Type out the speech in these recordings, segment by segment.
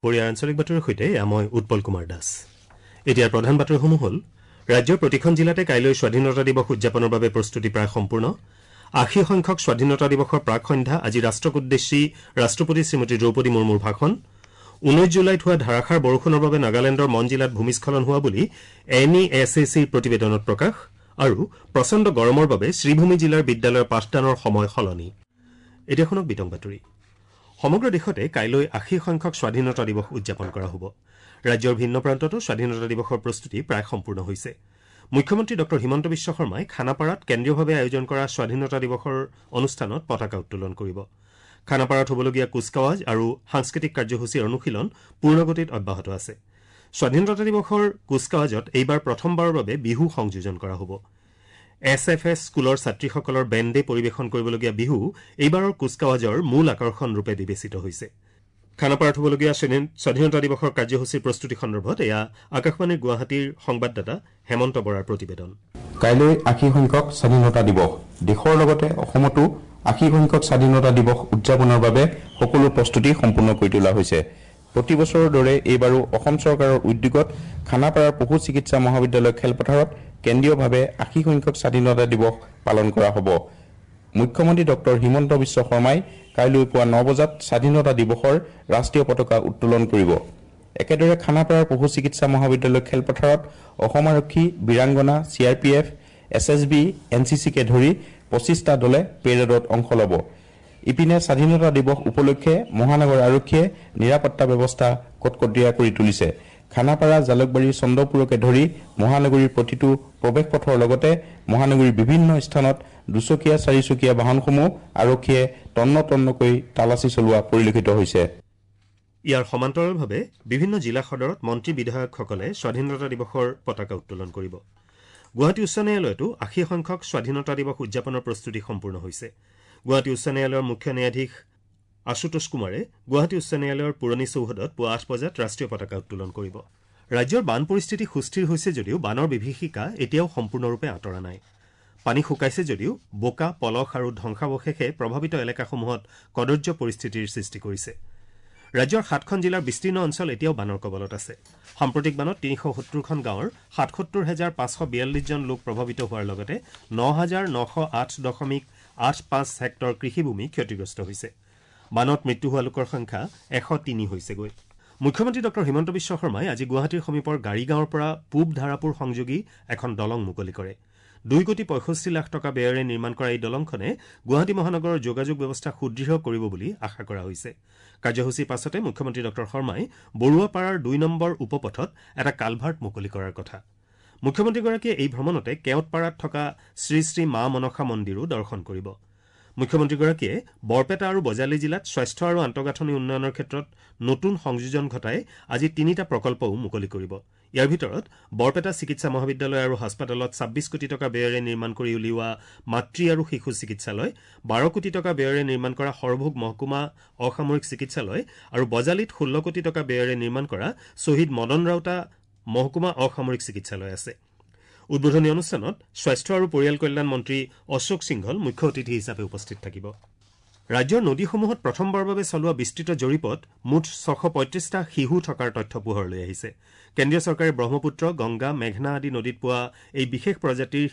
পৰিয়াৰ আঞ্চলিক বাতৰিৰ সৈতে মই উৎপল কুমাৰ দাস। এতিয়াৰ প্ৰধান বাতৰিসমূহ হ'ল: ৰাজ্যৰ প্ৰতিখন জিলাতে কাইলৈ স্বাধীনতা দিৱস উদযাপনৰ বাবে প্ৰস্তুতি প্ৰায় সম্পূৰ্ণ। 80 সংখ্যক স্বাধীনতা দিৱসৰ প্ৰাক সন্ধ্যা আজি ৰাষ্ট্ৰক উদ্দেশ্যি ৰাষ্ট্ৰপতি শ্ৰীমতী দ্ৰৌপদী মুৰ্মুৰ ভাষণ। 19 জুলাইত হোৱা ধাৰাসাৰ বৰষুণৰ বাবে নাগালেণ্ডৰ মন জিলাত ভূমিস্খলন হোৱা বুলি এন ই এছ এ চিৰ প্ৰতিবেদনত প্ৰকাশ। আৰু প্ৰচণ্ড গৰমৰ বাবে শ্ৰীভূমি জিলাৰ বিদ্যালয়ৰ পাঠদানৰ সময় সলনি। এতিয়া শুনক বিতং বাতৰি। সমগ্ৰ দেশতে কাইলৈ 80 সংখ্যক স্বাধীনতা দিৱস উদযাপন কৰা হ'ব। ৰাজ্যৰ ভিন্ন প্ৰান্ততো স্বাধীনতা দিৱসৰ প্ৰস্তুতি প্ৰায় সম্পূৰ্ণ হৈছে। মুখ্যমন্ত্ৰী ডঃ হিমন্ত বিশ্ব শৰ্মাই খানাপাৰাত কেন্দ্ৰীয়ভাৱে আয়োজন কৰা স্বাধীনতা দিৱসৰ অনুষ্ঠানত পতাকা উত্তোলন কৰিব। খানাপাৰাত হ'বলগীয়া কুচকাৱাজ আৰু সাংস্কৃতিক কাৰ্যসূচীৰ অনুশীলন পূৰ্ণগতিত অব্যাহত আছে। স্বাধীনতা দিৱসৰ কুচকাৱাজত এইবাৰ প্ৰথমবাৰৰ বাবে বিহু সংযোজন কৰা হ'ব। এছ এফ এছ স্কুলৰ ছাত্ৰীসকলৰ বেণ্ডে পৰিৱেশন কৰিবলগীয়া বিহু এইবাৰৰ কুচকাৱাজৰ মূল আকৰ্ষণ ৰূপে বিবেচিত হৈছে। খানাপাৰাত হ'বলগীয়া স্বাধীনতা দিৱসৰ কাৰ্যসূচীৰ প্ৰস্তুতি সন্দৰ্ভত এয়া আকাশবাণীৰ গুৱাহাটীৰ সংবাদদাতা হেমন্ত বৰাৰ প্ৰতিবেদন। কাইলৈ 80 সংখ্যক স্বাধীনতা দিৱস। দেশৰ লগতে অসমতো 80 সংখ্যক স্বাধীনতা দিৱস উদযাপনৰ বাবে সকলো প্ৰস্তুতি সম্পূৰ্ণ কৰি তোলা হৈছে। প্ৰতি বছৰৰ দৰে এইবাৰো অসম চৰকাৰৰ উদ্যোগত খানাপাৰাৰ পশু চিকিৎসা মহাবিদ্যালয় খেলপথাৰত কেন্দ্ৰীয়ভাৱে 80 সংখ্যক স্বাধীনতা দিৱস পালন কৰা হ'ব। মুখ্যমন্ত্ৰী ডঃ হিমন্ত বিশ্ব শৰ্মাই কাইলৈ পুৱা 9 বজাত স্বাধীনতা দিৱসৰ ৰাষ্ট্ৰীয় পতাকা উত্তোলন কৰিব। একেদৰে খানাপাৰাৰ পশু চিকিৎসা মহাবিদ্যালয় খেলপথাৰত অসম আৰক্ষী, বীৰাংগনা, C R P F, S S B, N C চিকে ধৰি 25টা দলে পেৰেডত অংশ ল'ব। ইপিনে স্বাধীনতা দিৱস উপলক্ষে মহানগৰ আৰক্ষীয়ে নিৰাপত্তা ব্যৱস্থা কটকটীয়া কৰি তুলিছে। খানাপাৰা, জালুকবাৰী, চন্দ্ৰপুৰকে ধৰি মহানগৰীৰ প্ৰতিটো প্ৰৱেশ পথৰ লগতে মহানগৰীৰ বিভিন্ন স্থানত দুচকীয়া, চাৰিচকীয়া বাহনসমূহ আৰক্ষীয়ে তন্ন তন্নকৈ তালাচী চলোৱা পৰিলক্ষিত হৈছে। ইয়াৰ সমান্তৰালভাৱে বিভিন্ন জিলা সদৰত মন্ত্ৰী বিধায়কসকলে স্বাধীনতা দিৱসৰ পতাকা উত্তোলন কৰিব। গুৱাহাটী উচ্চ ন্যায়ালয়তো 80 সংখ্যক স্বাধীনতা দিৱস উদযাপনৰ প্ৰস্তুতি সম্পূৰ্ণ হৈছে। গুৱাহাটী উচ্চ ন্যায়ালয়ৰ মুখ্য ন্যায়াধীশ আশুতোষ কুমাৰে গুৱাহাটী উচ্চ ন্যায়ালয়ৰ পুৰণি চৌহদত পুৱা 8 বজাত ৰাষ্ট্ৰীয় পতাকা উত্তোলন কৰিব। ৰাজ্যৰ বান পৰিস্থিতি সুস্থিৰ হৈছে যদিও বানৰ বিভীষিকা এতিয়াও সম্পূৰ্ণৰূপে আঁতৰা নাই। পানী শুকাইছে যদিও বোকা, পলস আৰু ধ্বংসাৱশেষে প্ৰভাৱিত এলেকাসমূহত কদৰ্য পৰিস্থিতিৰ সৃষ্টি কৰিছে। ৰাজ্যৰ 7খন জিলাৰ বিস্তীৰ্ণ অঞ্চল এতিয়াও বানৰ কবলত আছে। সাম্প্ৰতিক বানত 370খন গাঁৱৰ 77,542 জন লোক প্ৰভাৱিত হোৱাৰ লগতে 9,908.85 হেক্টৰ কৃষিভূমি ক্ষতিগ্ৰস্ত হৈছে। বানত মৃত্যু হোৱা লোকৰ সংখ্যা 103 হৈছেগৈ। মুখ্যমন্ত্ৰী ডঃ হিমন্ত বিশ্ব শৰ্মাই আজি গুৱাহাটীৰ সমীপৰ গাড়ীগাঁৱৰ পৰা পূব ধাৰাপুৰ সংযোগী এখন দলং মুকলি কৰে। 2 কোটি 65 লাখ টকা ব্যয়েৰে নিৰ্মাণ কৰা এই দলংখনে গুৱাহাটী মহানগৰৰ যোগাযোগ ব্যৱস্থা সুদৃঢ় কৰিব বুলি আশা কৰা হৈছে। কাৰ্যসূচীৰ পাছতে মুখ্যমন্ত্ৰী ডঃ শৰ্মাই বৰুৱাপাৰাৰ 2 নম্বৰ উপপথত এটা কালভাৰ্ট মুকলি কৰাৰ কথা। মুখ্যমন্ত্ৰীগৰাকীয়ে এই ভ্ৰমণতে কেওটপাৰাত থকা শ্ৰী শ্ৰী মা মনসা মন্দিৰো দৰ্শন কৰিব। মুখ্যমন্ত্ৰীগৰাকীয়ে বৰপেটা আৰু বজালী জিলাত স্বাস্থ্য আৰু আন্তঃগাঁথনি উন্নয়নৰ ক্ষেত্ৰত নতুন সংযোজন ঘটাই আজি 3টা প্ৰকল্পও মুকলি কৰিব। ইয়াৰ ভিতৰত বৰপেটা চিকিৎসা মহাবিদ্যালয় আৰু হাস্পতালত 26 কোটি টকা ব্যয়েৰে নিৰ্মাণ কৰি উলিওৱা মাতৃ আৰু শিশু চিকিৎসালয়, 12 কোটি টকা ব্যয়েৰে নিৰ্মাণ কৰা সৰভোগ মহকুমা অসামৰিক চিকিৎসালয় আৰু বজালীত 16 কোটি টকা ব্যয়েৰে নিৰ্মাণ কৰা শ্বহীদ মদন ৰাউতা মহকুমা অসামৰিক চিকিৎসালয় আছে। উদ্বোধনী অনুষ্ঠানত স্বাস্থ্য আৰু পৰিয়াল কল্যাণ মন্ত্ৰী অশোক সিংঘল মুখ্য অতিথি হিচাপে উপস্থিত থাকিব। ৰাজ্যৰ নদীসমূহত প্ৰথমবাৰৰ বাবে চলোৱা বিস্তৃত জৰীপত মুঠ 635টা শিহু থকাৰ তথ্য পোহৰলৈ আহিছে। কেন্দ্ৰীয় চৰকাৰে ব্ৰহ্মপুত্ৰ, গংগা, মেঘনা আদি নদীত পোৱা এই বিশেষ প্ৰজাতিৰ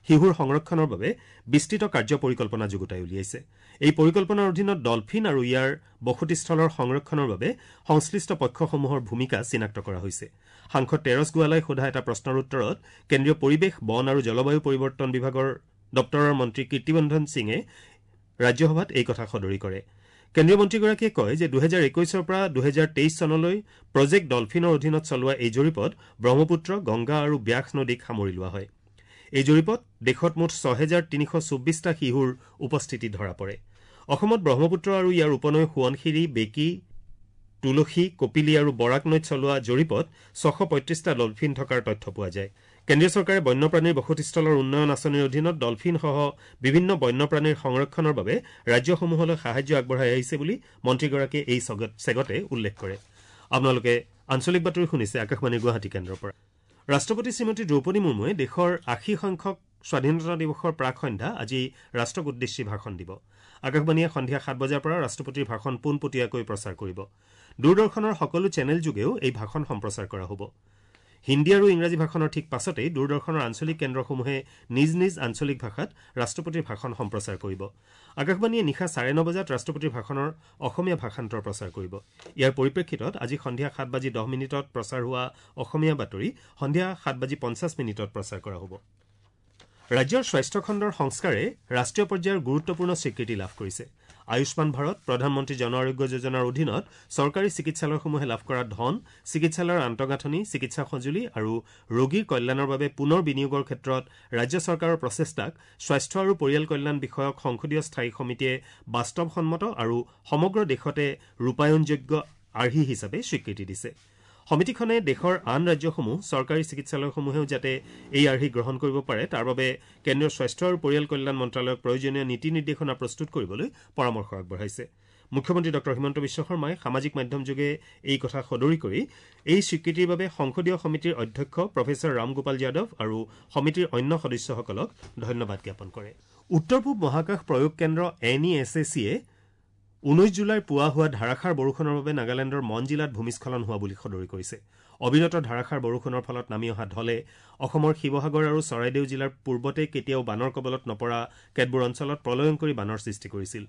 শিহুৰ সংৰক্ষণৰ বাবে বিস্তৃত কাৰ্য পৰিকল্পনা যুগুতাই উলিয়াইছে। এই পৰিকল্পনাৰ অধীনত ডলফিন আৰু ইয়াৰ বসতিস্থলৰ সংৰক্ষণৰ বাবে সংশ্লিষ্ট পক্ষসমূহৰ ভূমিকা চিনাক্ত কৰা হৈছে। সাংসদ তেৰছ গোৱালাই সোধা এটা প্ৰশ্নৰ উত্তৰত কেন্দ্ৰীয় পৰিৱেশ, বন আৰু জলবায়ু পৰিৱৰ্তন বিভাগৰ দপ্তৰৰ মন্ত্ৰী কীৰ্তিবন্ধন সিঙে ৰাজ্যসভাত এই কথা সদৰি কৰে। কেন্দ্ৰীয় মন্ত্ৰীগৰাকীয়ে কয় যে 2021ৰ পৰা 2023 চনলৈ প্ৰজেক্ট ডলফিনৰ অধীনত চলোৱা এই জৰীপত ব্ৰহ্মপুত্ৰ, গংগা আৰু ব্যাস নদীক সামৰি লোৱা হয়। এই জৰীপত দেশত মুঠ 6,324টা শিহুৰ উপস্থিতি ধৰা পৰে। অসমত ব্ৰহ্মপুত্ৰ আৰু ইয়াৰ উপনৈ সোৱণশিৰি, বেকী, তুলসী, কপিলী আৰু বৰাক নৈত চলোৱা জৰীপত 635টা ডলফিন থকাৰ তথ্য পোৱা যায়। কেন্দ্ৰীয় চৰকাৰে বন্যপ্ৰাণীৰ বসতিস্থলৰ উন্নয়ন আঁচনিৰ অধীনত ডলফিনসহ বিভিন্ন বন্যপ্ৰাণীৰ সংৰক্ষণৰ বাবে ৰাজ্যসমূহলৈ সাহায্য আগবঢ়াই আহিছে বুলি মন্ত্ৰীগৰাকীয়ে এই চেগতে উল্লেখ কৰে। আপোনালোকে আঞ্চলিক বাতৰি শুনিছে আকাশবাণীৰ গুৱাহাটী কেন্দ্ৰৰ পৰা। ৰাষ্ট্ৰপতি শ্ৰীমতী দ্ৰৌপদী মুৰ্মুৱে দেশৰ 80 সংখ্যক স্বাধীনতা দিৱসৰ প্ৰাক সন্ধ্যা আজি ৰাষ্ট্ৰক উদ্দেশ্যি ভাষণ দিব। আকাশবাণীয়ে সন্ধিয়া 7 বজাৰ পৰা ৰাষ্ট্ৰপতিৰ ভাষণ পোনপটীয়াকৈ প্ৰচাৰ কৰিব। দূৰদৰ্শনৰ সকলো চেনেলযোগেও এই ভাষণ সম্প্ৰচাৰ কৰা হ'ব। হিন্দী আৰু ইংৰাজী ভাষণৰ ঠিক পাছতেই দূৰদৰ্শনৰ আঞ্চলিক কেন্দ্ৰসমূহে নিজ নিজ আঞ্চলিক ভাষাত ৰাষ্ট্ৰপতিৰ ভাষণ সম্প্ৰচাৰ কৰিব। আকাশবাণীয়ে নিশা 9:30 বজাত ৰাষ্ট্ৰপতিৰ ভাষণৰ অসমীয়া ভাষান্তৰ প্ৰচাৰ কৰিব। ইয়াৰ পৰিপ্ৰেক্ষিতত আজি সন্ধিয়া 7:10 প্ৰচাৰ হোৱা অসমীয়া বাতৰি সন্ধিয়া 7:50 প্ৰচাৰ কৰা হ'ব। ৰাজ্যৰ স্বাস্থ্যখণ্ডৰ সংস্কাৰে ৰাষ্ট্ৰীয় পৰ্যায়ৰ গুৰুত্বপূৰ্ণ স্বীকৃতি লাভ কৰিছে। আয়ুষ্মান ভাৰত, প্ৰধানমন্ত্ৰী জন আৰোগ্য যোজনাৰ অধীনত চৰকাৰী চিকিৎসালয়সমূহে লাভ কৰা ধন, চিকিৎসালয়ৰ আন্তঃগাঁথনি, চিকিৎসা সঁজুলি আৰু ৰোগীৰ কল্যাণৰ বাবে পুনৰ বিনিয়োগৰ ক্ষেত্ৰত ৰাজ্য চৰকাৰৰ প্ৰচেষ্টাক স্বাস্থ্য আৰু পৰিয়াল কল্যাণ বিষয়ক সংসদীয় স্থায়ী সমিতিয়ে বাস্তৱসন্মত আৰু সমগ্ৰ দেশতে ৰূপায়ণযোগ্য আৰ্হি হিচাপে স্বীকৃতি দিছে। সমিতিখনে দেশৰ আন ৰাজ্যসমূহ চৰকাৰী চিকিৎসালয়সমূহেও যাতে এই আৰ্হি গ্ৰহণ কৰিব পাৰে তাৰ বাবে কেন্দ্ৰীয় স্বাস্থ্য আৰু পৰিয়াল কল্যাণ মন্ত্ৰালয়ক প্ৰয়োজনীয় নীতি নিৰ্দেশনা প্ৰস্তুত কৰিবলৈ পৰামৰ্শ আগবঢ়াইছে। মুখ্যমন্ত্ৰী ডঃ হিমন্ত বিশ্ব শৰ্মাই সামাজিক মাধ্যমযোগে এই কথা সদৰি কৰি এই স্বীকৃতিৰ বাবে সংসদীয় সমিতিৰ অধ্যক্ষ প্ৰফেচৰ ৰামগোপাল যাদৱ আৰু সমিতিৰ অন্য সদস্যসকলক ধন্যবাদ জ্ঞাপন কৰে। উত্তৰ পূব মহাকাশ প্ৰয়োগ কেন্দ্ৰ এন ই এছ এ চিয়ে 19 জুলাইৰ পুৱা হোৱা ধাৰাসাৰ বৰষুণৰ বাবে নাগালেণ্ডৰ মন জিলাত ভূমিস্খলন হোৱা বুলি সদৰি কৰিছে। অবিৰত ধাৰাসাৰ বৰষুণৰ ফলত নামি অহা ঢলে অসমৰ শিৱসাগৰ আৰু চৰাইদেউ জিলাৰ পূৰ্বতে কেতিয়াও বানৰ কবলত নপৰা কেতবোৰ অঞ্চলত প্ৰলয়ংকৰী বানৰ সৃষ্টি কৰিছিল।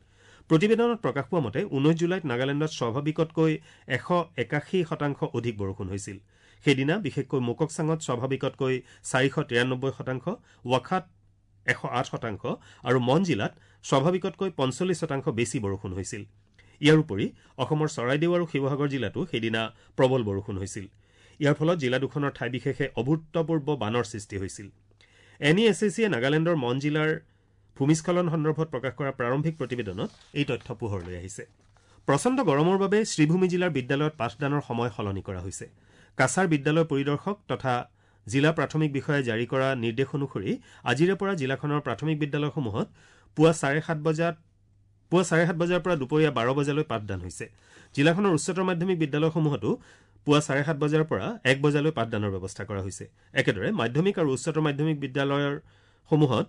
প্ৰতিবেদনত প্ৰকাশ পোৱা মতে 19 জুলাইত নাগালেণ্ডত স্বাভাৱিকতকৈ 181% অধিক বৰষুণ হৈছিল। সেইদিনা বিশেষকৈ মোককচাঙত স্বাভাৱিকতকৈ 493%, ৱাখাত 108% আৰু মন জিলাত স্বাভাৱিকতকৈ 45% বেছি বৰষুণ হৈছিল। ইয়াৰ উপৰি অসমৰ চৰাইদেউ আৰু শিৱসাগৰ জিলাতো সেইদিনা প্ৰবল বৰষুণ হৈছিল। ইয়াৰ ফলত জিলা দুখনৰ ঠাই বিশেষে অভূতপূৰ্ব বানৰ সৃষ্টি হৈছিল। এন ই এছ এ চিয়ে নাগালেণ্ডৰ মন জিলাৰ ভূমিস্খলন সন্দৰ্ভত প্ৰকাশ কৰা প্ৰাৰম্ভিক প্ৰতিবেদনত এই তথ্য পোহৰলৈ আহিছে। প্ৰচণ্ড গৰমৰ বাবে শ্ৰীভূমি জিলাৰ বিদ্যালয়ত পাঠদানৰ সময় সলনি কৰা হৈছে। কাছাৰ বিদ্যালয় পৰিদৰ্শক তথা জিলা প্ৰাথমিক বিষয়াই জাৰি কৰা নিৰ্দেশ অনুসৰি আজিৰে পৰা জিলাখনৰ প্ৰাথমিক বিদ্যালয়সমূহত পুৱা 7:30 বজাৰ পৰা দুপৰীয়া 12 বজালৈ পাঠদান হৈছে। জিলাখনৰ উচ্চতৰ মাধ্যমিক বিদ্যালয়সমূহতো পুৱা 7:30 বজাৰ পৰা 1 বজালৈ পাঠদানৰ ব্যৱস্থা কৰা হৈছে। একেদৰে মাধ্যমিক আৰু উচ্চতৰ মাধ্যমিক বিদ্যালয়সমূহত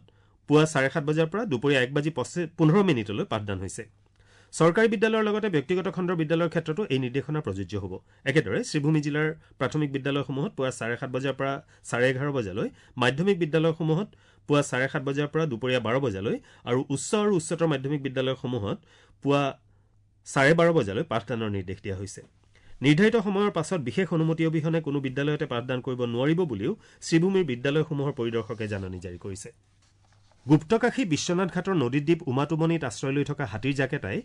পুৱা 7:30 বজাৰ পৰা দুপৰীয়া 1:15 পাঠদান হৈছে। চৰকাৰী বিদ্যালয়ৰ লগতে ব্যক্তিগত খণ্ডৰ বিদ্যালয়ৰ ক্ষেত্ৰতো এই নিৰ্দেশনা প্ৰযোজ্য হ'ব। একেদৰে শ্ৰীভূমি জিলাৰ প্ৰাথমিক বিদ্যালয়সমূহত পুৱা 7:30 বজাৰ পৰা 11:30 বজালৈ, মাধ্যমিক বিদ্যালয়সমূহত পুৱা 7:30 বজাৰ পৰা দুপৰীয়া 12 বজালৈ আৰু উচ্চ আৰু উচ্চতৰ মাধ্যমিক বিদ্যালয়সমূহত পুৱা 12:30 বজালৈ পাঠদানৰ নিৰ্দেশ দিয়া হৈছে। নিৰ্ধাৰিত সময়ৰ পাছত বিশেষ অনুমতি অবিহনে কোনো বিদ্যালয়তে পাঠদান কৰিব নোৱাৰিব বুলিও শ্ৰীভূমিৰ বিদ্যালয়সমূহৰ পৰিদৰ্শকে জাননী জাৰি কৰিছে। গুপ্তকাশী বিশ্বনাথ ঘাটৰ নদীদ্বীপ উমাটুমনিত আশ্ৰয় লৈ থকা হাতীৰ জাক এটাই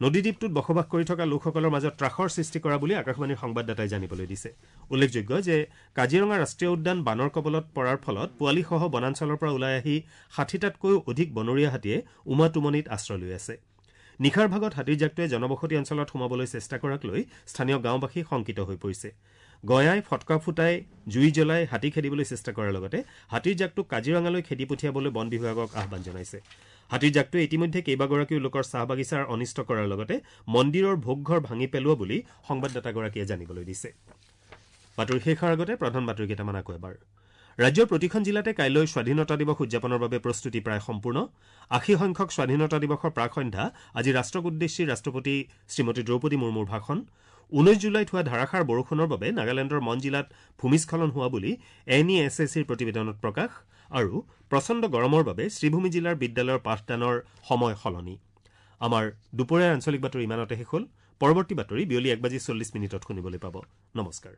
নদীদ্বীপটোত বসবাস কৰি থকা লোকসকলৰ মাজত ত্ৰাসৰ সৃষ্টি কৰা বুলি আকাশবাণীৰ সংবাদদাতাই জানিবলৈ দিছে। উল্লেখযোগ্য যে কাজিৰঙা ৰাষ্ট্ৰীয় উদ্যান বানৰ কবলত পৰাৰ ফলত পোৱালীসহ বনাঞ্চলৰ পৰা ওলাই আহি 60টাতকৈও অধিক বনৰীয়া হাতীয়ে উমাটুমনিত আশ্ৰয় লৈ আছে। নিশাৰ ভাগত হাতীৰ জাকটোৱে জনবসতি অঞ্চলত সোমাবলৈ চেষ্টা কৰাক লৈ স্থানীয় গাঁওবাসী শংকিত হৈ পৰিছে। গঞাই ফটকা ফুটাই জুই জ্বলাই হাতী খেদিবলৈ চেষ্টা কৰাৰ লগতে হাতীৰ জাকটোক কাজিৰঙালৈ খেদি পঠিয়াবলৈ বন বিভাগক আহ্বান জনাইছে। হাতীৰ জাকটোৱে ইতিমধ্যে কেইবাগৰাকীও লোকৰ চাহ বাগিচাৰ অনিষ্ট কৰাৰ লগতে মন্দিৰৰ ভোগঘৰ ভাঙি পেলোৱা বুলি সংবাদদাতাগৰাকীয়ে জানিবলৈ দিছে। বাতৰি শেষ হোৱাৰ আগতে প্ৰধান বাতৰি কেইটামান আকৌ এবাৰ। ৰাজ্যৰ প্ৰতিখন জিলাতে কাইলৈ স্বাধীনতা দিৱস উদযাপনৰ বাবে প্ৰস্তুতি প্ৰায় সম্পূৰ্ণ। 80 সংখ্যক স্বাধীনতা দিৱসৰ প্ৰাক সন্ধ্যা আজি ৰাষ্ট্ৰক উদ্দেশ্যি ৰাষ্ট্ৰপতি শ্ৰীমতী দ্ৰৌপদী মুৰ্মুৰ ভাষণ। 19 জুলাইত হোৱা ধাৰাসাৰ বৰষুণৰ বাবে নাগালেণ্ডৰ মন জিলাত ভূমিস্খলন হোৱা বুলি এন ই এছ এ চিৰ প্ৰতিবেদনত প্ৰকাশ। আৰু প্ৰচণ্ড গৰমৰ বাবে শ্ৰীভূমি জিলাৰ বিদ্যালয়ৰ পাঠদানৰ সময় সলনি। আমাৰ দুপৰীয়াৰ আঞ্চলিক বাতৰি ইমানতে শেষ হ'ল। পৰৱৰ্তী বাতৰি বিয়লি 1:40 শুনিবলৈ পাব। নমস্কাৰ।